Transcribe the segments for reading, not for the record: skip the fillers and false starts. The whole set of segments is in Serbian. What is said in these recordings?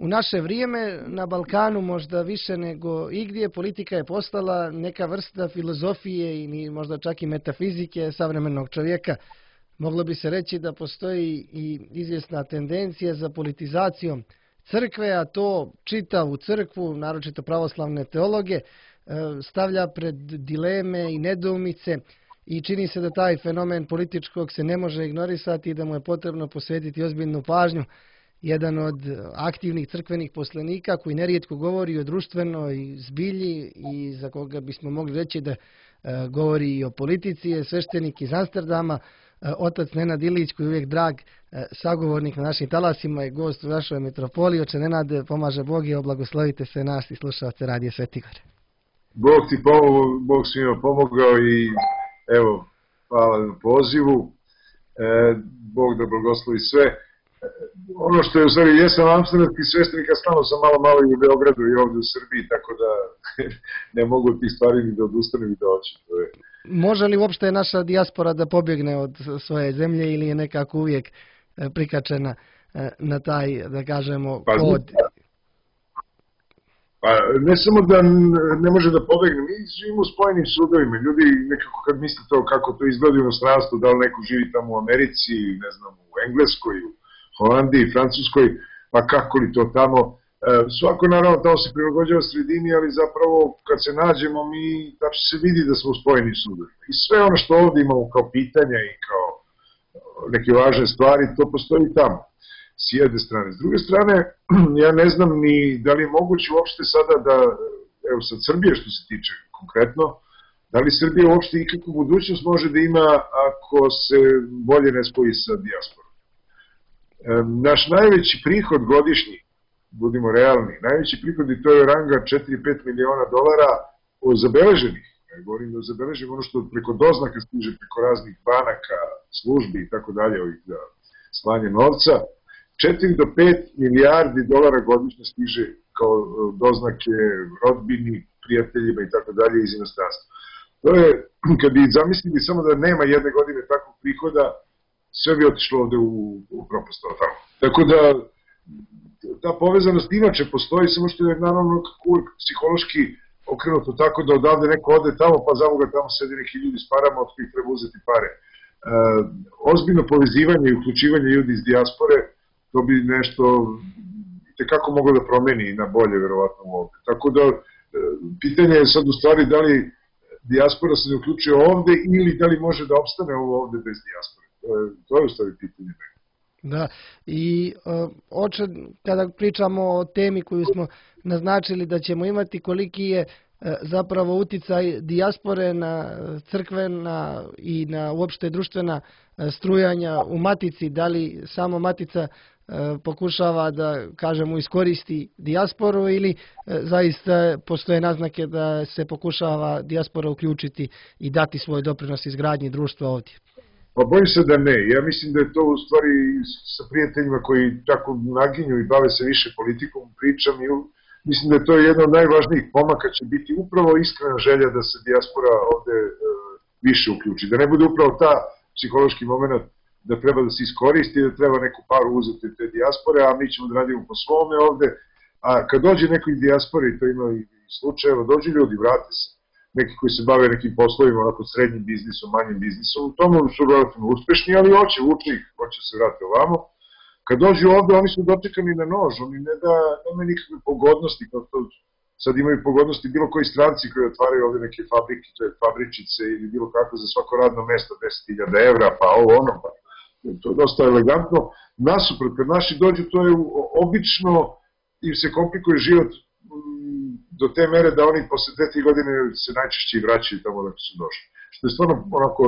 U naše vrijeme na Balkanu možda više nego igdje politika je postala neka vrsta filozofije i možda čak i metafizike savremenog čovjeka. Moglo bi se reći da postoji i izvjesna tendencija za politizacijom crkve, a to čitavu crkvu, naročito pravoslavne teologe, stavlja pred dileme i nedoumice i čini se da taj fenomen političkog se ne može ignorisati i da mu je potrebno posvetiti ozbiljnu pažnju. Jedan od aktivnih crkvenih poslanika koji nerijetko govori o društvenoj zbilji i za koga bismo mogli reći da govori i o politici je sveštenik iz Amsterdama, otac Nenad Ilić, koji je uvijek drag sagovornik na našim talasima i gost u našoj metropoli. Oče Nenad, pomaže Bog i oblagoslovite sve nas i slušalce Radija Svetigor. Bog ti pomogao, Bog svima pomogao i evo, hvala na pozivu. Bog da blagoslovi sve. Ono što je u stvari, jesam amsterdamski sveštenik, a stalno sam malo i u Beogradu i ovdje u Srbiji, tako da ne mogu tih stvari ni da odustanem i da hoćem. Može li uopšte naša dijaspora da pobjegne od svoje zemlje ili je nekako uvijek prikačena na taj, da kažemo, kod? Pa ne samo da ne može da pobegne, mi živimo u spojenim sudovima. Ljudi nekako kad misle to kako to izgleda u inostranstvu, da li neko živi tamo u Americi, ne znam, u Engleskoj, u Holandiji, Francuskoj, pa kako li to tamo. Svako naravno tamo se prilagođava sredini, ali zapravo kad se nađemo mi, tačno se vidi da smo u spojenim sudovima. I sve ono što ovdje imamo kao pitanja i kao neke važne stvari, to postoji tamo. S jedne strane. S druge strane, ja ne znam ni da li je moguće uopšte sada da, evo sad Srbije što se tiče konkretno, da li Srbija uopšte ikakvu budućnost može da ima ako se bolje ne spoji sa dijasporom. Naš najveći prihod godišnji, budimo realni, najveći prihod i to je ranga 4-5 miliona dolara zabeleženih. Govorim da zabeležimo ono što preko doznaka stiže, preko raznih banaka, službi i tako dalje, ovih za slanje novca. 4 do 5 milijardi dolara godišnje stiže kao doznake rodbini, prijateljima i tako dalje iz inostranstva. To je, kad bi zamislili samo da nema jedne godine takvog prihoda, sve bi otišlo ovde u propast. Tako da, ta povezanost inače postoji, samo što je naravno uvijek psihološki okrenuto tako da odavde neko ode tamo, pa zamoga tamo sedi neki ljudi s parama od kojih treba uzeti pare. Ozbiljno povezivanje i uključivanje ljudi iz dijaspore, to bi nešto tekako moglo da promeni na bolje, verovatno ovde. Tako da, pitanje je sad u stvari da li dijaspora se ne uključuje ovde ili da li može da opstane ovo ovde bez dijaspore. To je u stvari pitanje. Da, i oče, kada pričamo o temi koju smo naznačili da ćemo imati, koliki je zapravo uticaj dijaspore na crkvena i na uopšte društvena strujanja u Matici, da li samo Matica pokušava da, kažemo, iskoristi dijasporu ili zaista postoje naznake da se pokušava dijaspora uključiti i dati svoj doprinos izgradnji društva ovdje? Pa bojim se da ne. Ja mislim da je to u stvari sa prijateljima koji tako naginju i bave se više politikom, pričam i mislim da je to jedna od najvažnijih pomaka će biti upravo iskrena želja da se dijaspora ovde više uključi. Da ne bude upravo ta psihološki moment da treba da se iskoristi, da treba neku paru uzeti te dijaspore, a mi ćemo da radimo po svome ovde. A kad dođe neko iz dijaspore, i to ima i slučajeva, dođu ljudi, vrate se. Neki koji se bave nekim poslovima, onako srednjim biznisom, manjim biznisom, u tomu su relativno uspešni, ali vuče ih, hoće se vrati ovamo. Kad dođu ovde, oni su dočekani na nož, oni nemaju nikakve pogodnosti, kao to sad imaju pogodnosti bilo koji stranci koji otvaraju ovde neke fabrike, to je fabričice ili bilo kako za svako radno mesto, 10.000 evra, pa ovo ono, pa to je dosta elegantno. Nasuprot, kad naši dođu, to je obično, im se komplikuje život do te mere da oni posle 2-3 godine se najčešće i vraćaju tamo da su došli. Što je stvarno onako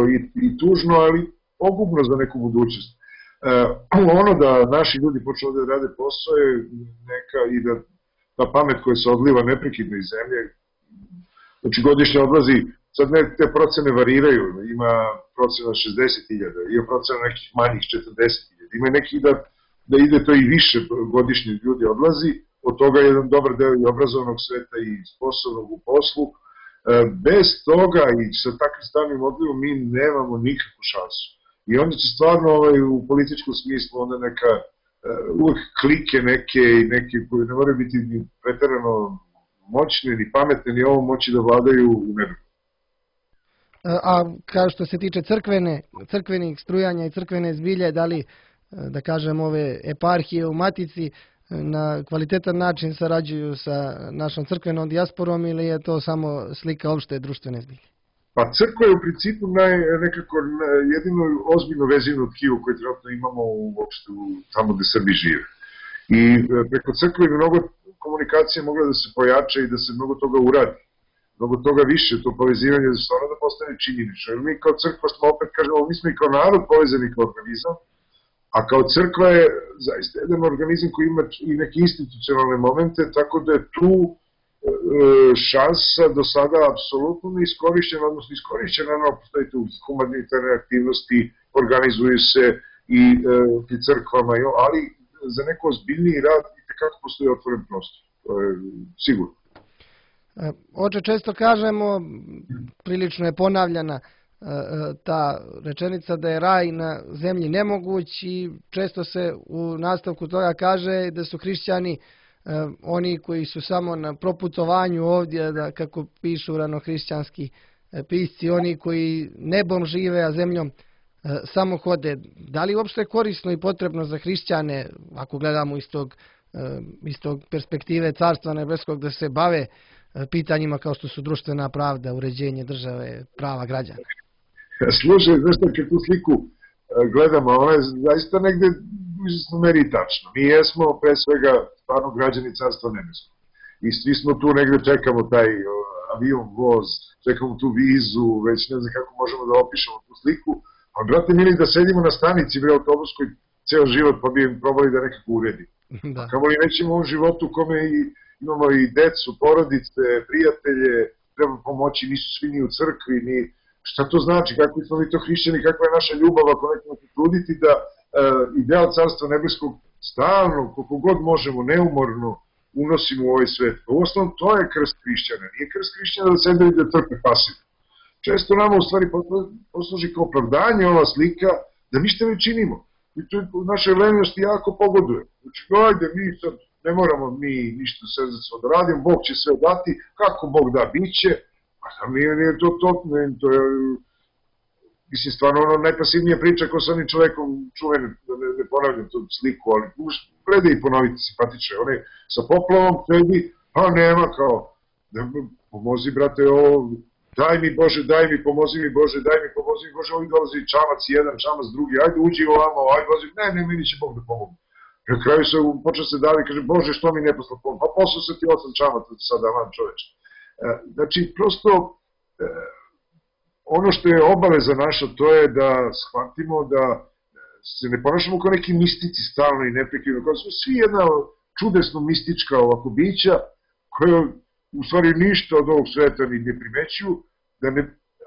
i tužno, ali pogubno za neku budućnost. Ono da naši ljudi počnu ovde da rade posao je neka i da ta pamet koja se odliva neprekidno iz zemlje, znači godišnje odlazi, sad te procene variraju, ima procena 60.000, ima procena nekih manjih 40.000, ima nekih da ide to i više godišnje ljudi odlazi, od toga je jedan dobar deo i obrazovnog sveta i sposobnog u poslu. Bez toga i sa takvim stalnim odlivom mi nemamo nikakvu šansu. I onda će stvarno u političkom smislu onda neka uvek klike neke i neke koji ne moraju biti ni preterano moćne, ni pametne, ni ovo moći da vladaju u nebu. A kao što se tiče crkvenih strujanja i crkvene zbilje, da li, da kažem, ove eparhije u Matici na kvalitetan način sarađuju sa našom crkvenom dijasporom ili je to samo slika opšte društvene zbilje? Pa crkva je u principu nekako jedino ozbiljno vezivno tkivo koje trenutno imamo uopšte tamo gde Srbi žive. I preko crkve bi mnogo komunikacije mogla da se pojača i da se mnogo toga uradi. Mnogo toga više, to povezivanje da stvarno da postane činjenično. Jer mi kao crkva smo, opet kažemo, mi smo i kao narod povezani kao organizam, a kao crkva je zaista jedan organizam koji ima i neke institucionalne momente, tako da je tu šansa do sada apsolutno neiskorišćena, odnosno iskorišćena, no postoji tu humanitarne aktivnosti, organizuju se i ti crkvama, ali za neko ozbiljniji rad i tekako postoji otvoren prostor, to je sigurno. Oče, često kažemo, prilično je ponavljana ta rečenica da je raj na zemlji nemoguć i često se u nastavku toga kaže da su hrišćani oni koji su samo na proputovanju ovdje, da kako pišu ranohrišćanski pisci, oni koji nebom žive, a zemljom samo hode. Da li uopšte je korisno i potrebno za hrišćane, ako gledamo iz tog perspektive Carstva nebeskog, da se bave pitanjima kao što su društvena pravda, uređenje države, prava građana? Slušaj, znaš šta, kad tu sliku gledamo, ona je zaista negde u izvesnoj meri tačno. Mi jesmo pre svega stvarno građani Carstva nebeskog. I svi smo tu negde, čekamo taj avion, voz, čekamo tu vizu, već ne znam kako možemo da opišemo tu sliku. A brate mili, da sedimo na stanici bre autobuskoj ceo život pa bi im probali da nekako uredi. Da. Kamo li nećemo u životu u kome imamo i decu, porodice, prijatelje, treba pomoći, nisu svi ni u crkvi, ni šta to znači, kakvi smo mi to hrišćani, kakva je naša ljubav ako nekako se truditi da ideal Carstva nebeskog stalno, koliko god možemo, neumorno unosimo u ovaj svet. U osnovu to je krst hrišćana, nije krst hrišćana da sede i da trpe pasivno. Često nama u stvari posluži kao opravdanje ova slika da ništa ne činimo. I to u našoj lenjosti jako pogoduje. Znači, ajde, mi sad ne moramo mi ništa srdečno da radimo, Bog će sve dati, kako Bog da, bit će, a sam nije to je, mislim, stvarno ono najpasivnija priča ko sa onim čovekom čuvene, da ne ponavljam tu sliku, ali gleda i ponoviti simpatiče, on je sa poplavom sedi, a nema kao, pomozi brate ovo, daj mi Bože, pomozi mi Bože, ovdje dolazi čamac jedan, čamac drugi, ajde uđi ovamo, ajde dolazi, ne, meni će Bog da pomogu. I na kraju se počeo se davi, kaže, Bože, što mi ne poslao pomogu, pa poslao se ti 8 čamaca sada van čoveče. Znači, prosto, ono što je obaveza naša, to je da shvatimo da se ne ponašamo kao neki mistici stalno i neprekidno, kao smo svi jedna čudesno mistička ovako bića, koja u stvari ništa od ovog sveta ni ne primećuju,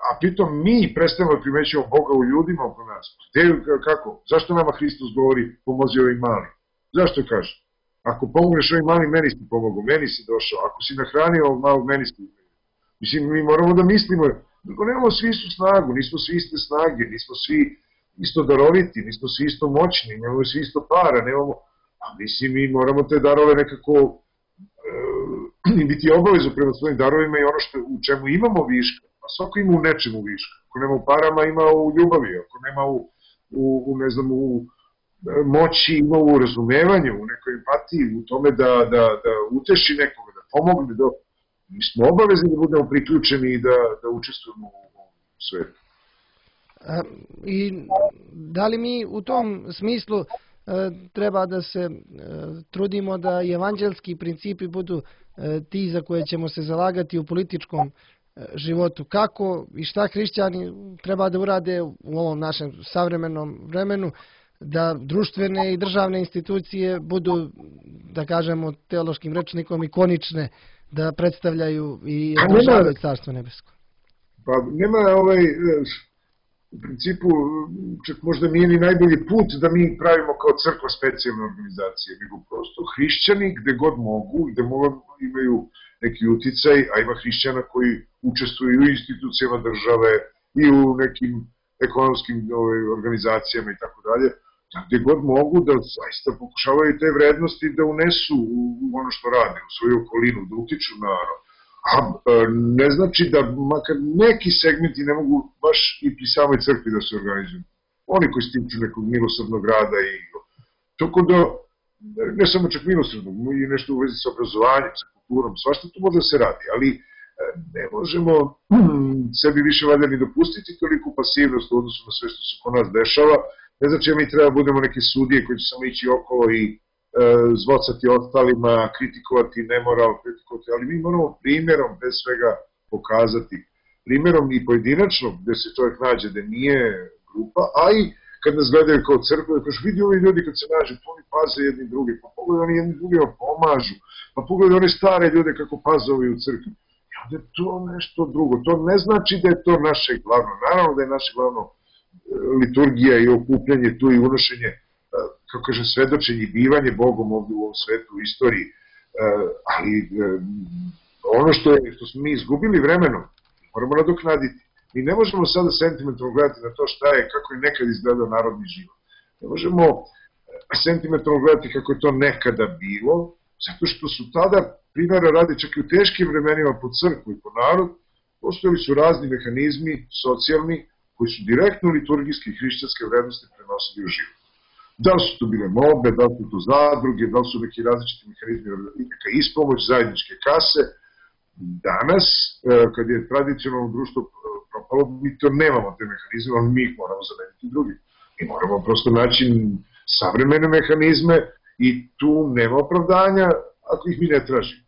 a pritom mi prestavimo da primećujemo Boga u ljudima oko nas. Kako? Zašto nama Hristos govori pomozi ovim malim? Zašto kaže? Ako pomogneš ovim malim, meni si pomogao, meni si došao. Ako si nahranio ovog malog, meni si. Mislim, mi moramo da mislimo, nemamo svi istu snagu, nismo svi iste snage, nismo svi isto daroviti, nismo svi isto moćni, nemamo svi isto para, nemamo, a mislim, mi moramo te darove nekako biti obavezu prema svojim darovima i ono u čemu imamo viška, a svako ima u nečemu viška. Ako nema u parama, ima u ljubavi, ako nema u moći, ima u razumevanju, u nekoj empatiji, u tome da uteši nekoga, da pomogne, mi smo obavezni da budemo priključeni i da učestvujemo u svetu. I da li mi u tom smislu treba da se trudimo da evanđelski principi budu ti za koje ćemo se zalagati u političkom životu? Kako i šta hrišćani treba da urade u ovom našem savremenom vremenu da društvene i državne institucije budu, da kažemo teološkim rečnikom, ikonične, da predstavljaju i održavaju Carstvo nebesko? Pa nema u principu, čak možda nije ni najbolji put da mi pravimo kao crkva specijalne organizacije, nego prosto hrišćani gde god mogu, gde imaju neki uticaj, a ima hrišćana koji učestvuju u institucijama države i u nekim ekonomskim organizacijama i tako dalje. gde god mogu da zaista pokušavaju te vrednosti da unesu u ono što rade, u svoju okolinu, da utiču na a ne znači da makar neki segmenti ne mogu baš i pri samoj crkvi da se organizuju. Oni koji stiču nekog milosrdnog rada i tako da, ne samo čak milosrdnog, i nešto u vezi sa obrazovanjem, sa kulturom, svašta to može da se radi, ali ne možemo sebi više valjda ni dopustiti toliku pasivnost u odnosu na sve što se kod nas dešava. Ne znači da mi treba da budemo neke sudije koji će samo ići okolo i zvocati ostalima, kritikovati nemoral, kritikovati, ali mi moramo primjerom bez svega pokazati, primjerom i pojedinačno gde se čovjek nađe da nije grupa, a i kad nas gledaju kao crkva, da kažu vidi ovi ljudi kad se nađe, to oni paze jedni drugi, pa pogledaj oni jedni drugima pomažu, pa pogledaj one stare ljude kako paze ovi u crkvi. I onda je to nešto drugo, to ne znači da je to naše glavno, naravno da je naše glavno liturgija i okupljanje tu i unošenje, kako kažem, svedočenje i bivanje Bogom ovdje u ovom svetu, u istoriji, ali ono što smo mi izgubili vremenom, moramo nadoknaditi. Mi ne možemo sada sentimentalno gledati na to šta je, kako je nekad izgledao narodni život. Ne možemo sentimentalno gledati kako je to nekada bilo, zato što su tada, primjera radi, čak i u teškim vremenima po crkvu i po narod, postojali su razni mehanizmi, socijalni, koji su direktno liturgijske i hrišćanske vrednosti prenosili u život. Da li su to bile molbe, da li su to zadruge, da li su neki različiti mehanizmi, neka ispomoć, zajedničke kase. Danas, kad je tradicionalno društvo propalo, mi to nemamo te mehanizme, ali mi ih moramo zameniti drugim. Mi moramo prosto naći savremene mehanizme i tu nema opravdanja ako ih mi ne tražimo.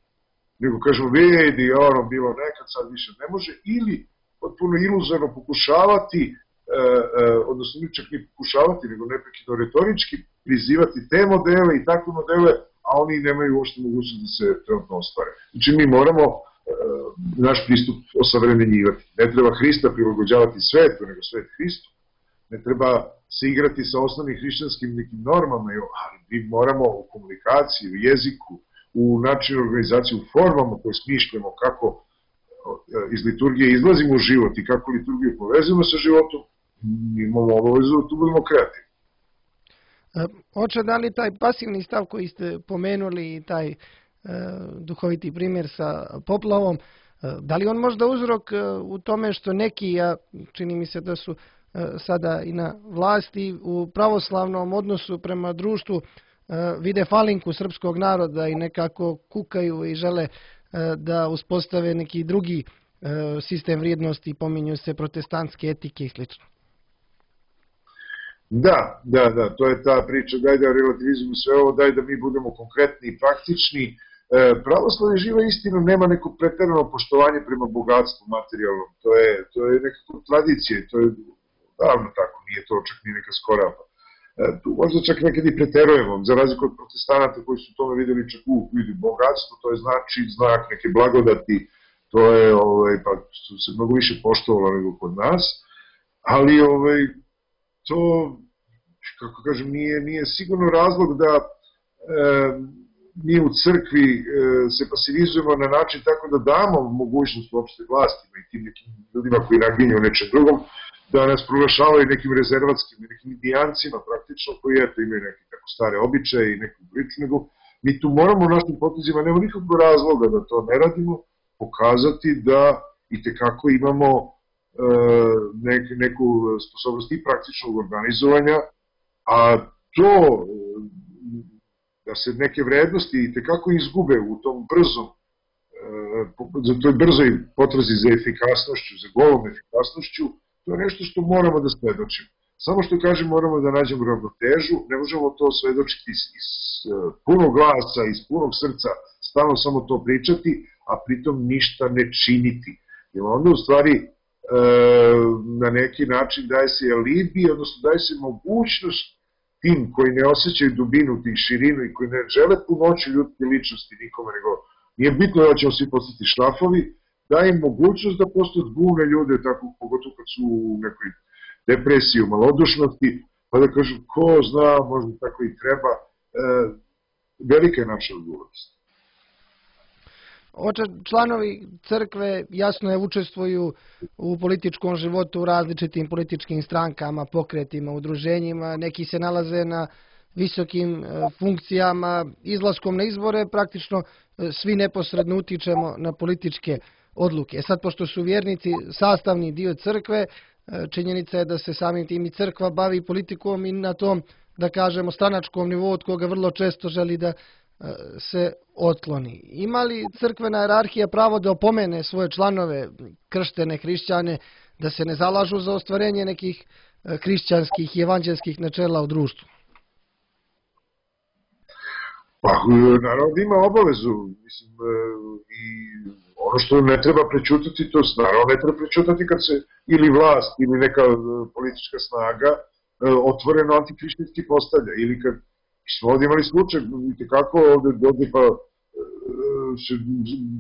Nego kažemo, vidi, ono bilo nekad, sad više ne može, ili potpuno iluzorno pokušavati, odnosno mi čak ni pokušavati, nego neprekidno retorički prizivati te modele i takve modele, a oni nemaju uopšte mogućnost da se trenutno ostvare. Znači mi moramo naš pristup osavremenjivati. Ne treba Hrista prilagođavati svetu, nego svet Hristu. Ne treba se igrati sa osnovnim hrišćanskim nekim normama, ali mi moramo u komunikaciji, u jeziku, u načinu organizacije, u formama koje smišljamo kako iz liturgije izlazimo u život i kako liturgiju povezujemo sa životom, mi imamo obavezu da tu budemo kreativni. Oče, da li taj pasivni stav koji ste pomenuli i taj duhoviti primjer sa poplavom, da li on možda uzrok u tome što neki, a čini mi se da su sada i na vlasti, u pravoslavnom odnosu prema društvu vide falinku srpskog naroda i nekako kukaju i žele da uspostave neki drugi sistem vrijednosti, pominju se protestantske etike i sl. Da, to je ta priča, daj da relativizujemo sve ovo, daj da mi budemo konkretni i praktični. Pravoslavlje živa istina nema neko preterano poštovanje prema bogatstvu materijalnom, to je nekako tradicija, to je davno tako, nije to čak ni neka skora. Tu možda čak nekad i preterujemo, za razliku od protestanata koji su tome videli čak u bogatstvo, to je znači znak neke blagodati, to je, pa se mnogo više poštovalo nego kod nas, ali to, kako kažem, nije sigurno razlog da mi u crkvi se pasivizujemo na način tako da damo mogućnost uopšte vlastima i tim nekim ljudima koji naginju nečem drugom, da nas proglašavaju nekim rezervatskim i nekim indijancima praktično, koji imaju neke tako stare običaje i neku priču, nego mi tu moramo u našim potezima, nema nikakvog razloga da to ne radimo, pokazati da itekako imamo neku sposobnost i praktičnog organizovanja, a to da se neke vrednosti itekako izgube u tom toj brzoj potrazi za efikasnošću, za golom efikasnošću, to je nešto što moramo da svedočimo. Samo što kažem, moramo da nađemo ravnotežu, ne možemo to svedočiti iz punog glasa, iz punog srca, stalno samo to pričati, a pritom ništa ne činiti. Jer onda u stvari na neki način daje se alibi, odnosno daje se mogućnost tim koji ne osjećaju dubinu, tih širinu i koji ne žele punoću ljudske ličnosti nikome, nego nije bitno da ćemo svi postati šrafovi, daje im mogućnost da postoje zbune ljude, tako, pogotovo kad su u nekoj depresiji, u malodušnosti, pa da kažu ko zna, možda tako i treba, velika je naša odgovornost. Članovi crkve jasno je učestvuju u političkom životu, u različitim političkim strankama, pokretima, udruženjima, neki se nalaze na visokim funkcijama, izlaskom na izbore praktično svi neposredno utičemo na političke odluke. Sad, pošto su vjernici sastavni dio crkve, činjenica je da se samim tim i crkva bavi politikom i na tom, da kažemo, stranačkom nivou od koga vrlo često želi da se otkloni. Ima li crkvena hijerarhija pravo da opomene svoje članove, krštene hrišćane, da se ne zalažu za ostvarenje nekih hrišćanskih i evanđelskih načela u društvu? Pa, naravno da ima obavezu, mislim, i ono što ne treba prećutati, to naravno ne treba prećutati kad se ili vlast ili neka politička snaga otvoreno antihrišćanski postavlja, ili kad smo ovdje imali slučaj, vidite kako ovdje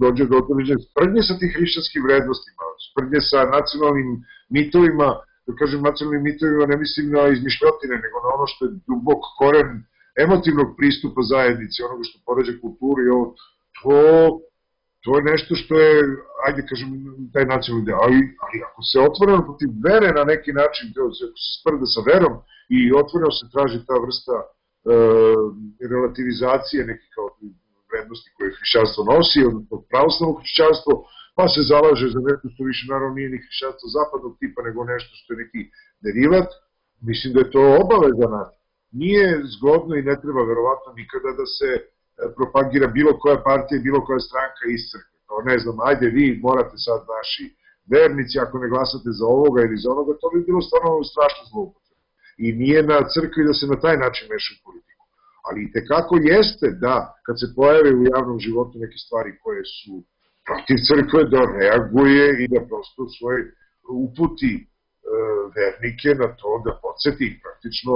dođe do određene sprdnje sa tih hrišćanskim vrednostima, sprdnje sa nacionalnim mitovima, da kažem nacionalnim mitovima ne mislim na izmišljotine, nego na ono što je dubok koren emotivnog pristupa zajednici, onoga što poređa kulturu i ovo, to je nešto što je, ajde kažem, taj nacionalni deo, ali ako se otvoreno protiv vere na neki način, ako se sprda sa verom i otvoreno se traži ta vrsta relativizacije nekih kao vrednosti koje hrišćanstvo nosi, odnosno pravoslavno hrišćanstvo, pa se zalaže za nešto što više naravno nije ni hrišćanstvo zapadnog tipa, nego nešto što je neki derivat, mislim da je to obaveza nas. Nije zgodno i ne treba verovatno nikada da se propagira bilo koja partija i bilo koja stranka iz crkve. Kao ne znam, ajde vi morate sad naši vernici, ako ne glasate za ovoga ili za onoga, to bi bilo stvarno strašno zloupotreba. I nije na crkvi da se na taj način meša u politiku. Ali i tekako jeste da, kad se pojave u javnom životu neke stvari koje su protiv crkve, da reaguje i da prosto svoj uputi vernike na to, da podsjeti ih praktično,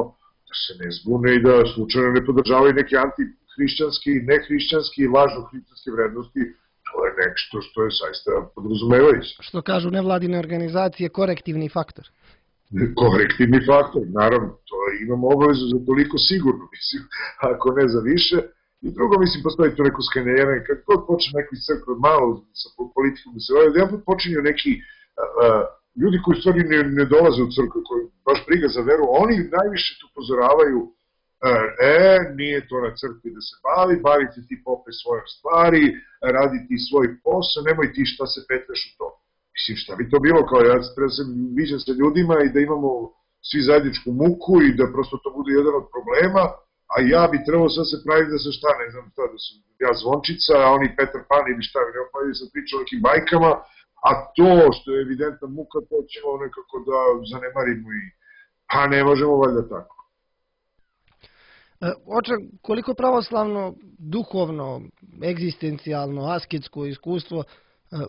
da se ne zbune i da slučajno ne podržavaju neke antihrišćanske, nehrišćanske i lažno hrišćanske vrednosti. To je nešto što je saista podrazumevajuće. Što kažu nevladine organizacije, korektivni faktor. Korektivni faktor, naravno, to imamo obavezu za toliko sigurno, mislim, ako ne za više. I drugo, mislim, postoji to neko skaniranje, kad god počne neko iz crkve malo sa politikom da se vaju, jedan put počinju neki ljudi koji u stvari ne dolaze u crkvu, koji baš briga za veru, oni najviše tu upozoravaju, nije to na crkvi da se bavite ti pope svoje stvari, radi ti svoj posao, nemoj ti šta se petljaš u to. Mislim, šta bi to bilo, kao ja treba se viđam sa ljudima i da imamo svi zajedničku muku i da prosto to bude jedan od problema, a ja bi trebalo sad se praviti da se šta, ne znam šta, da sam ja zvončica, a oni Petar Pan ili šta, ne pa sam pričao o nekim bajkama, a to što je evidentna muka, to ćemo nekako da zanemarimo i pa ne možemo valjda tako. Oče, koliko pravoslavno, duhovno, egzistencijalno, asketsko iskustvo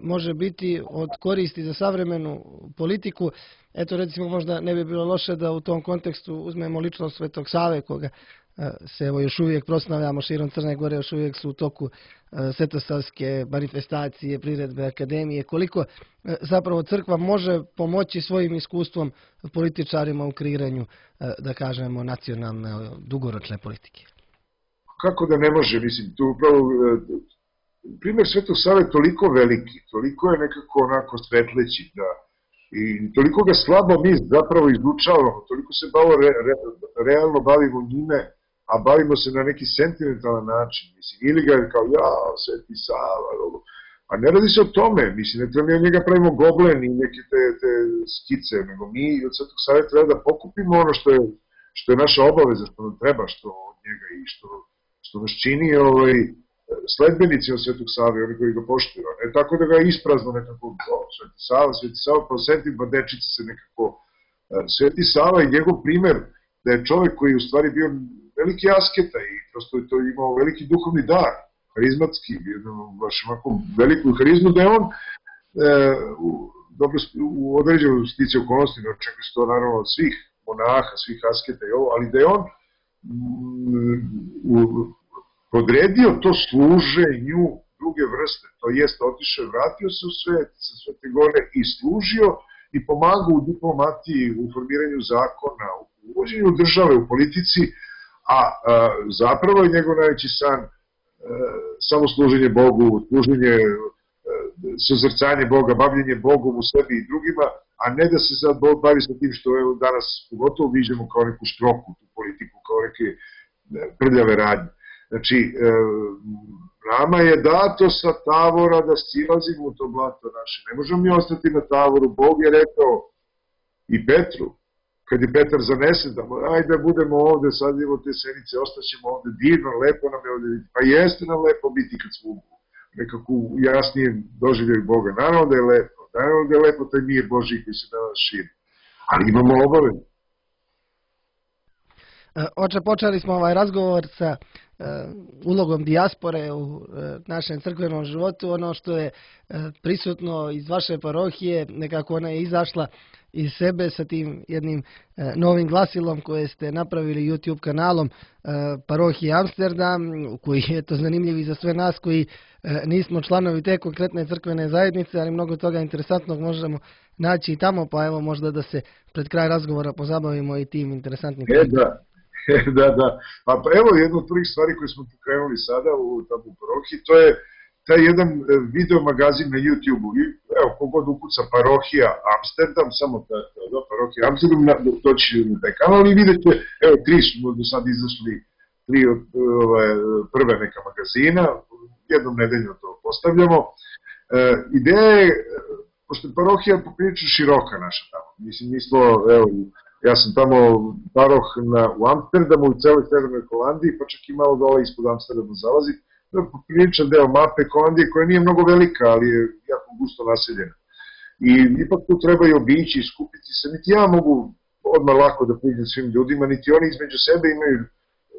može biti od koristi za savremenu politiku? Eto, recimo, možda ne bi bilo loše da u tom kontekstu uzmemo ličnost Svetog Save, koga se evo još uvijek proslavljamo širom Crne Gore, još uvijek su u toku svetosavske manifestacije, priredbe, akademije. Koliko zapravo crkva može pomoći svojim iskustvom političarima u kreiranju, da kažemo, nacionalne, dugoročne politike? Kako da ne može, mislim, tu upravo primjer Svetog Save je toliko veliki, toliko je nekako onako svetleći, da i toliko ga slabo mi zapravo izučavamo, toliko se realno bavimo njime, a bavimo se na neki sentimentalan način, mislim, ili ga je kao, Sveti Sava, a ne radi se o tome, mislim, ne treba mi od njega pravimo goblen i neke te skice, nego mi od Svetog Save treba da pokupimo ono što je naša obaveza, što nam treba, što od njega i što nas čini sledbenici od Svetog Save, oni koji ga poštuju, ne tako da ga isprazno nekako, Sveti Sava, pa osetim, pa dečica se nekako, Sveti Sava i njegov primer da je čovjek koji je u stvari bio veliki asketa i prosto je to imao veliki duhovni dar, harizmatski, baš ovako veliku harizmu, da je on u određenoj stici okolnosti, ne očekuje se to naravno od svih monaha, svih asketa i ovo, ali da je on podredio to služenju druge vrste, to jest otišao i vratio se u svet sa Svete Gore i služio i pomagao u diplomatiji, u formiranju zakona, u uvođenju države, u politici, a zapravo je njegov najveći san samo služenje Bogu, služenje, suzrcanje Boga, bavljenje Bogom u sebi i drugima, a ne da se sad bavi sa tim što evo danas pogotovo viđemo kao neku štroku, tu politiku, kao neke prljave radnje. Znači, nama je dato sa tavora da silazimo u to blato naše. Ne možemo mi ostati na tavoru. Bog je rekao i Petru, kad je Petar zanesen, da ajde da budemo ovde, sadimo te senice, ostaćemo ovde, divno, lepo nam je ovde biti. Pa jeste nam lepo biti kad smo nekako jasnije doživljaju Boga. Naravno da je lepo, naravno da je lepo taj mir Božji koji se danas širi. Ali imamo obavezu. Oče, počeli smo ovaj razgovor sa ulogom dijaspore u našem crkvenom životu. Ono što je prisutno iz vaše parohije, nekako ona je izašla iz sebe sa tim jednim novim glasilom koje ste napravili YouTube kanalom parohije Amsterdam, koji je to zanimljiv i za sve nas koji nismo članovi te konkretne crkvene zajednice, ali mnogo toga interesantnog možemo naći i tamo, pa evo možda da se pred kraj razgovora pozabavimo i tim interesantnim Da. Da. Pa evo jedna od prvih stvari koje smo pokrenuli sada tamo u parohiji, to je taj jedan video magazin na YouTube-u. Evo, kogod ukuca parohija Amsterdam, samo parohija Amsterdam, doći na taj kanal i vidite, evo, 3 smo do sad izašli, 3 od prve neka magazina, jednom nedeljno to postavljamo. Ideja je, pošto je parohija poprilično široka naša tamo, mislim, mi smo, evo, ja sam tamo paroh u Amsterdamu, u celoj Severnoj Holandiji, pa čak i malo dole ispod Amsterdama zalazi. To je popriličan deo mape Holandije koja nije mnogo velika, ali je jako gusto naseljena. I ipak tu treba i obići i skupiti se. Niti ja mogu odmah lako da priđem svim ljudima, niti oni između sebe imaju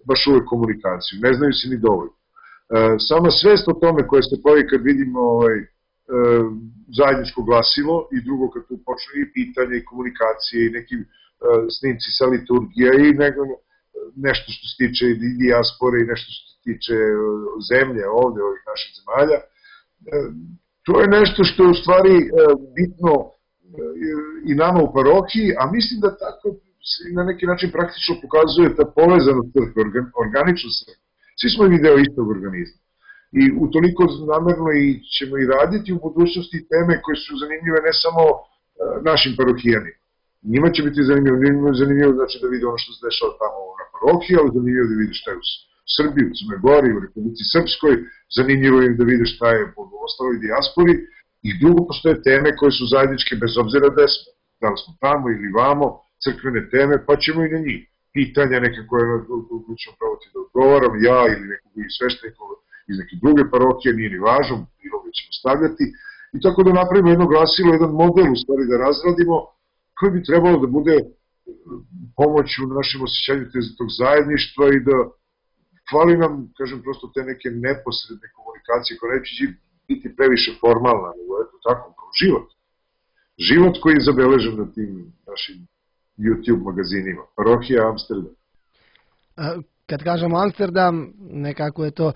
baš uvek komunikaciju. Ne znaju se ni dovoljno. Sama svest o tome koje se pojavi kad vidimo zajedničko glasilo i drugo kad tu počne i pitanje i komunikacije i neki snimci sa liturgija i nešto što se tiče i dijaspore i nešto što se tiče zemlje ovde, ovih naših zemalja. To je nešto što je u stvari bitno i nama u parohiji, a mislim da tako se na neki način praktično pokazuje ta povezanost crkve, organičnost crkve. Svi smo imali deo istog organizma. I utoliko namerno ćemo i raditi u budućnosti teme koje su zanimljive ne samo našim parohijanima. Njima će biti zanimljivo znači da vide ono što se dešava tamo na parohiji, ali zanimljivo da vide šta je u Srbiji, u Crnoj Gori, u Republici Srpskoj, zanimljivo je da vide šta je u ostaloj dijaspori i drugo postoje teme koje su zajedničke bez obzira da smo, da li smo tamo ili vamo, crkvene teme, pa ćemo i na njih. Pitanja neke koje ćemo pravoti da odgovaram, ja ili nekog sveštenika iz neke druge parohije, nije ni važno, bilo ga ćemo stavljati i tako da napravimo jedno glasilo, jedan model u stvari da razradimo koji bi trebalo da bude pomoć u našem osjećanju tog zajedništva i da hvali nam, kažem, prosto te neke neposredne komunikacije koja neće biti previše formalna, nego eto tako, kao život. Život koji je zabeležen na tim našim YouTube magazinima. Parohija Amsterdam. Kad kažemo Amsterdam, nekako je to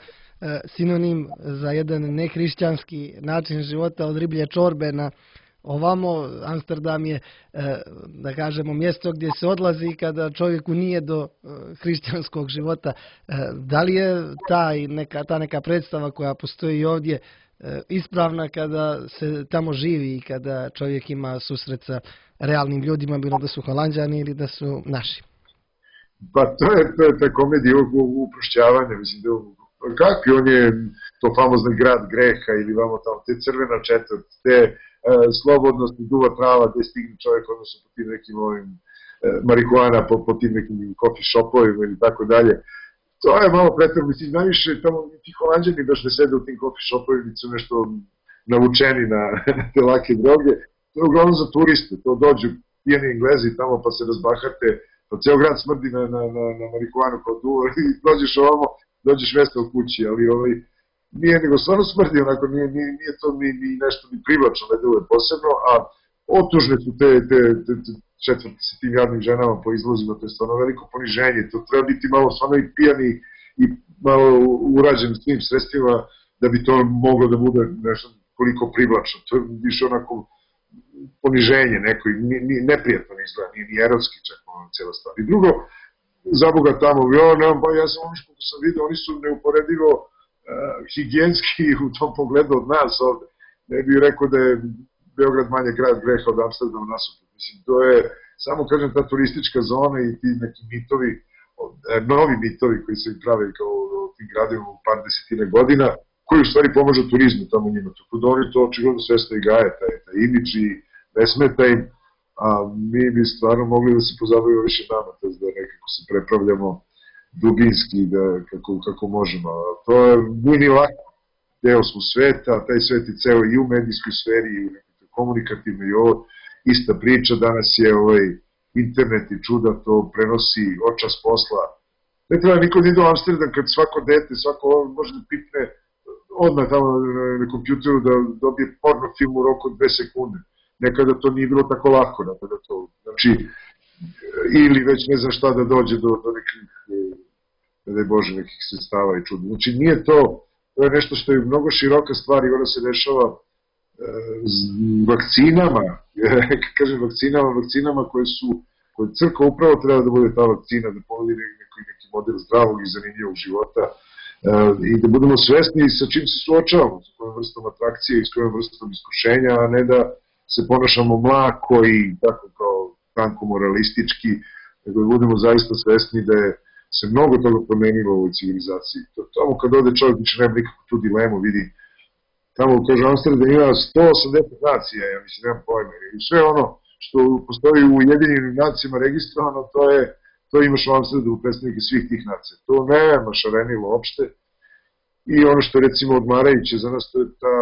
sinonim za jedan nehrišćanski način života od riblje čorbe na ovamo. Amsterdam je, da kažemo, mjesto gdje se odlazi kada čovjeku nije do hrišćanskog života. Da li je ta neka predstava koja postoji ovdje ispravna kada se tamo živi i kada čovjek ima susret sa realnim ljudima, bilo da su Holanđani ili da su naši? Pa to je ta komedija uprošćavanja, mislim da kakvi on je to famozni grad greha ili vamo tamo, te crvena četvrt, te slobodnost i duva trava gde stigne čovjek, odnosno po tim nekim marihuana, po tim nekim coffee shopovima ili tako dalje. To je malo pretrano, mislim, najviše tamo ti Holanđani baš ne sede u tim coffee shopovima, su nešto navučeni na te lake droge. To je uglavnom za turiste, to dođu pijani Englezi tamo pa se razbahate, pa ceo grad smrdi na marihuanu kao duva i dođeš ovamo, dođeš mesta u kući, ali nije nego stvarno smrdi, onako nije to ni nešto ni privlačno, ne deluje posebno, a otužne su te četvrti sa tim jadnim ženama po izlozima, to je stvarno veliko poniženje, to treba biti malo stvarno i pijani i malo urađen s tim sredstvima da bi to moglo da bude nešto koliko privlačno, to je više onako poniženje neko i neprijatno izgleda, ni erotski čak cijela stvar. I drugo, za Boga tamo, ja sam ono što sam vidio, oni su neuporedivo higijenski u tom pogledu od nas ovde. Ne bih rekao da je Beograd manje grad greha od Amsterdama nasuprot. Mislim, to je, samo kažem, ta turistička zona i ti neki mitovi, novi mitovi koji se prave kao u tim gradima u par desetine godina, koji u stvari pomažu turizmu tamo njima. Tako da oni to očigledno svesno i gaje, taj imidž i ne smeta im, a mi bi stvarno mogli da se pozabavimo više nama, da nekako se prepravljamo dubinski kako možemo. To nije ni lako. Deo smo sveta, taj svet je ceo i u medijskoj sferi i u komunikativnoj i ovo ista priča. Danas je internet i čuda to prenosi očas posla. Ne treba niko da ide u Amsterdam kad svako dete, svako može da pipne odmah tamo na kompjuteru da dobije porno film u roku od 2 sekunde. Nekada to nije bilo tako lako. Znači, ili već ne znam šta da dođe do nekih, ne daj Bože, nekih sredstava i čuda. Znači, nije to je nešto što je mnogo široka stvar i ona se dešava vakcinama, kažem vakcinama koje crkva upravo treba da bude ta vakcina, da povodi neki model zdravog i zanimljivog života i da budemo svesni sa čim se suočavamo, s kojom vrstom atrakcije i s kojom vrstom iskušenja, a ne da se ponašamo mlako i tako kao tanko moralistički, nego da budemo zaista svesni da je se mnogo toga promenilo u ovoj civilizaciji. Tamo kad ode čovjek više nema nikakvu tu dilemu, vidi, tamo kaže Amsterdam ima 180 nacija, ja mislim, nemam pojma, i sve ono što postoji u Ujedinjenim nacijama registrovano, to imaš u Amsterdamu predstavnike svih tih nacija. To nema šarenilo uopšte i ono što je recimo odmarajuće za nas, to je ta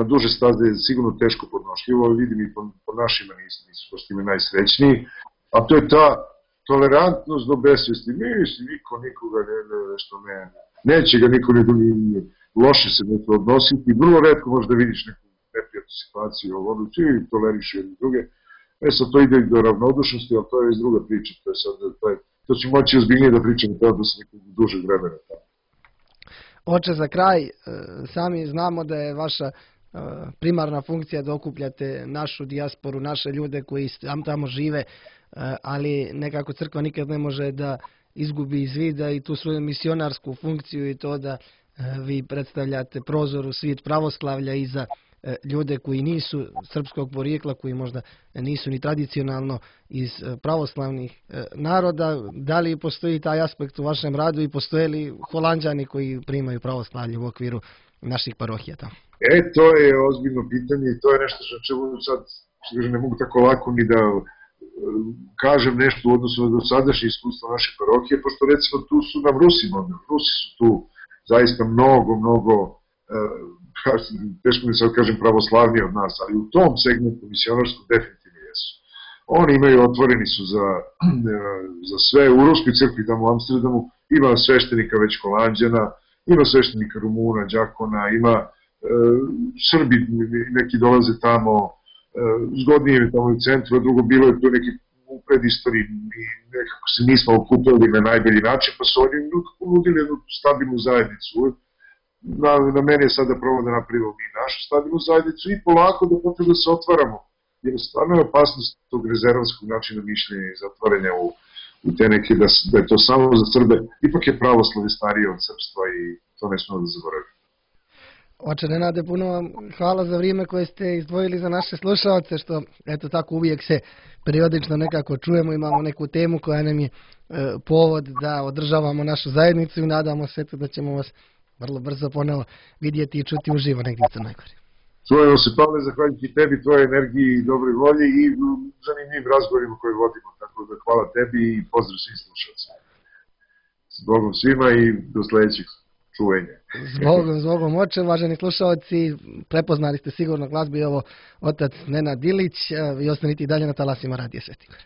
na duže staze je sigurno teško podnošljivo, vidim i po našima nisu baš time najsrećniji, a to je ta tolerantnost do besvesti. Niko nikoga neće ga niko loše se neće odnositi. Vrlo retko možeš da vidiš neku neprijatnu situaciju, ono ti toleriš jedne druge. Sad to ide do ravnodušnosti, ali to je već druga priča. To će moći ozbiljnije da pričamo da se nekog dužeg vremena. Oče, za kraj, sami znamo da je vaša primarna funkcija da okupljate našu dijasporu, naše ljude koji tamo žive, ali nekako crkva nikad ne može da izgubi iz vida i tu svoju misionarsku funkciju i to da vi predstavljate prozor u svijet pravoslavlja i za ljude koji nisu srpskog porijekla, koji možda nisu ni tradicionalno iz pravoslavnih naroda. Da li postoji taj aspekt u vašem radu i postoje li Holanđani koji primaju pravoslavlje u okviru naših parohija tamo? To je ozbiljno pitanje i to je nešto što čemu sad ne mogu tako lako ni da kažem nešto u odnosu na dosadašnje iskustvo naše parohije, pošto recimo tu su nam Rusi su tu zaista mnogo teško mi sad kažem pravoslavniji od nas, ali u tom segmentu misionarskom definitivno jesu. Oni imaju, otvoreni su za sve, u Ruskoj crkvi tamo u Amsterdamu ima sveštenika već Holanđana, ima sveštenika Rumuna, Đakona, ima Srbi neki dolaze tamo, zgodnije je tamo u centru, a drugo bilo je to neki u predistoriji i nekako se nismo okupili na najbolji način, pa su oni nudili jednu stabilnu zajednicu. Na mene je sad da probamo da napravimo mi našu stabilnu zajednicu i polako da počnemo da se otvaramo. Jer stvarno je opasnost tog rezervanskog načina mišljenja i zatvaranja u te neke da je to samo za Srbe. Ipak je pravoslave starije od srpstva i to ne smemo da zaboravimo. Oče Nenade, puno vam hvala za vrijeme koje ste izdvojili za naše slušalce, što eto tako uvijek se periodično nekako čujemo, imamo neku temu koja nam je povod da održavamo našu zajednicu i nadamo se da ćemo vas vrlo brzo ponovo vidjeti i čuti uživo negdje u Crnoj Gori. Čujemo se, Pavle, zahvaljujući tebi, tvojoj energiji i dobroj volji i zanimljivim razgovorima koje vodimo, tako da hvala tebi i pozdrav svim slušalcima. S Bogom svima i do sledećeg čuvenja. S Bogom, oče, uvaženi slušalci, prepoznali ste sigurno glas, bio ovo otac Nenad Ilić, vi ostanite i dalje na talasima Radija Sveti Gor.